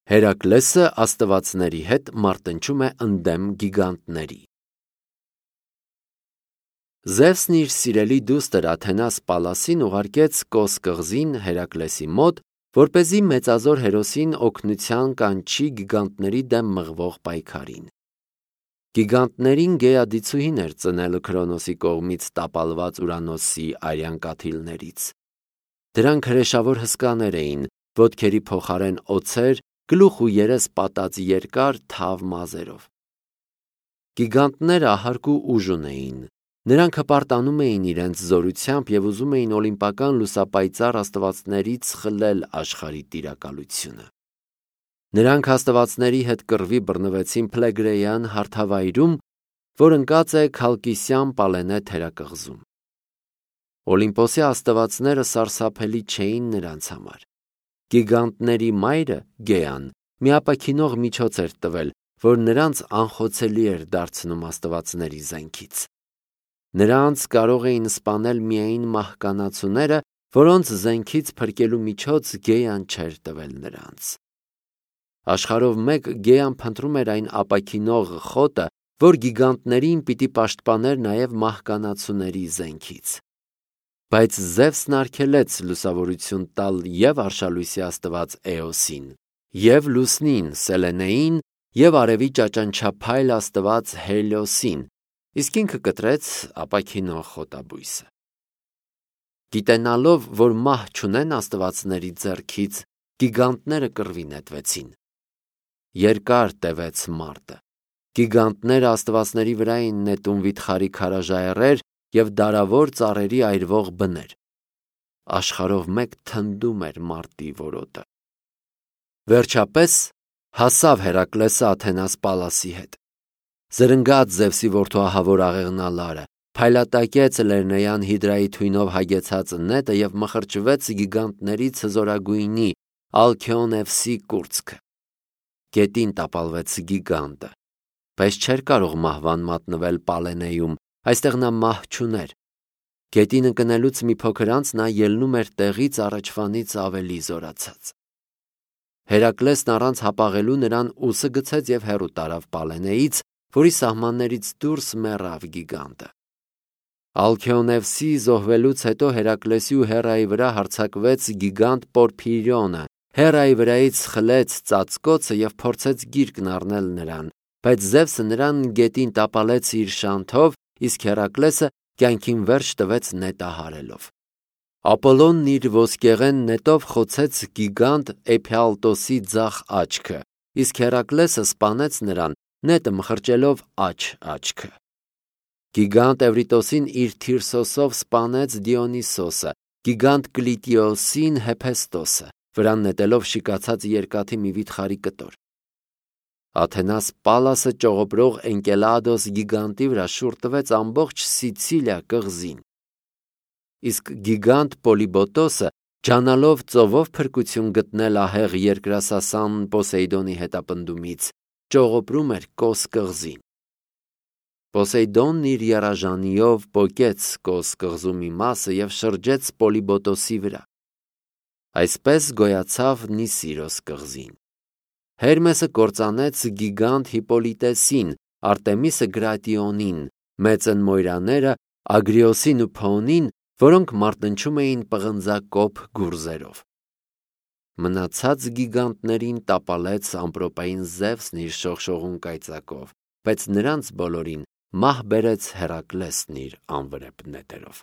Հերակլեսը աստվածների հետ մարտնչում է ընդդեմ գիգանտների։ Զևսն իր սիրելի դուստր Աթենաս Պալասին ուղարկեց Կոս կղզին Հերակլեսի մոտ, որպեսզի մեծազոր հերոսին օգնության կանչի գիգանտների դեմ մղվող պայքարին։ Գիգանտներին գեադիցուհին էր ծնել Քրոնոսի կողմից տապալված Ուրանոսի արյան կաթիլներից։ Դրանք հրեշավոր հսկաներ էին, ոտքերի փոխարեն օձեր, գլուխ ու երես պատած երկար թավ մազերով։ Գիգանտները ահարկ ու ուժ ունեին։ Նրանք հպարտանում էին իրենց զորությամբ և ուզում էին օլիմպական լուսապայծառ աստվածներից խլել աշխարհի տիրակալությունը։ Նրանք աստվածների հետ կռվի բռնվեցին Փլեգրեյան հարթավայրում, որ ընկած է Քալկիսյան Պալենե թերակղզում։ Օլիմպոսի աստվածները սարսափելի չէին նրանց համար։ Գիգանտների մայրը Գեան մի ապաքինող միջոց էր տվել, որ նրանց անխոցելի էր դարձնում աստվածների զենքից։ Նրանց կարող էին սպանել միայն մահկանացուները, որոնց զենքից փրկելու միջոց Գեան չէր տվել նրանց։ Աշխարհով մեկ Գեան փնտրում էր այն ապաքինող խոտը, որ գիգանտներին պիտի պաշտպաներ նաև մահկանացուների զենքից։ Բայց Զևսն արգելեց լուսավորություն տալ և արշալույսի աստված Էոսին, և լուսնին Սելենեին, և արևի ճաճանչափայլ աստված Հելիոսին, իսկ ինքը կտրեց ապաքինող խոտաբույսը։ Գիտենալով, որ մահ չունեն աստվածների ձեռքից, գիգանտները կռվի նետվեցին։ Երկար տևեց մարտը։ Գիգանտները աստվածների վրա էին նետում վիթխարի քարաժայռեր և դարավոր ծառերի այրվող բներ։ Աշխարհով մեկ թնդում էր մարտի որոտը։ Վերջապես հասավ Հերակլեսը Աթենաս Պալասի հետ։ Զրնգաց Զևսի որդու ահավոր աղեղնալարը, փայլատակեց Լեռնեյան հիդրայի թույնով հագեցած նետը և մխրճվեց գիգանտներից հզորագույնի Ալքեոնևսի կուրծքը։ Գետին տապալվեց գիգանտը, բայց չէր կարող մահվան մատնվել Պալենեում, այստեղ նա մահ չուներ։ Գետին ընկնելուց մի փոքր անց նա ելնում էր տեղից առաջվանից ավելի զորացած։ Հերակլեսն առանց հապաղելու նրան ուսը գցեց և հեռու տարավ Պալենեից, որի սահմաններից դուրս մեռավ գիգանտը։ Ալքեոնևսի զոհվելուց հետո Հերակլեսի ու Հերայի վրա հարձակվեց գիգանտ Պորփիրիոնը, Հերայի վրայից խլեց ծածկոցը և փորձեց գիրկն առնել նրան, բայց Զևսը նրան գետին տապալեց իր շանթով, իսկ Հերակլեսը կյանքին վերջ տվեց նետահարելով։ Ապոլոնն իր ոսկեղեն նետով խոցեց գիգանտ Էփիալտոսի ձախ աչքը, իսկ Հերակլեսը սպանեց նրան, նետը մխրճելով աջ աչքը։ Գիգանտ Էվրիտոսին իր Թիրսոսով սպանեց Դիոնիսոսը, գիգանտ Կլիտիոսին Հեփեստոսը, վրան նետելով շիկացած երկաթի մի վիթխարի կտոր։ Աթենաս Պալասը ճողոպրող Էնկելադոս գիգանտի վրա շուռ տվեց ամբողջ Սիցիլիա կղզին։ Իսկ գիգանտ Պոլիբոտոսը, ջանալով ծովով փրկություն գտնել ահեղ երկրասասան Պոսեյդոնի հետապնդումից, ճողոպրում էր Կոս կղզին։ Պոսեյդոնն իր եռաժանիով պոկեց Կոս կղզու մի մասը և շրջեց Պոլիբոտոսի վրա։ Այսպես գոյացավ Նիսիրոս կղզին։ Հերմեսը կործանեց գիգանտ Հիպոլիտեսին, Արտեմիսը Գրատիոնին, մեծն Մոյրաները Ագրիոսին ու Փոնին, որոնք մարտնչում էին պղնձակոփ գուրզերով։ Մնացած գիգանտներին տապալեց ամպրոպային Զևսն իր շողշողուն կայծակով, բայց նրանց բոլորին մահ բերեց Հերակլեսն իր անվրեպ նետերով։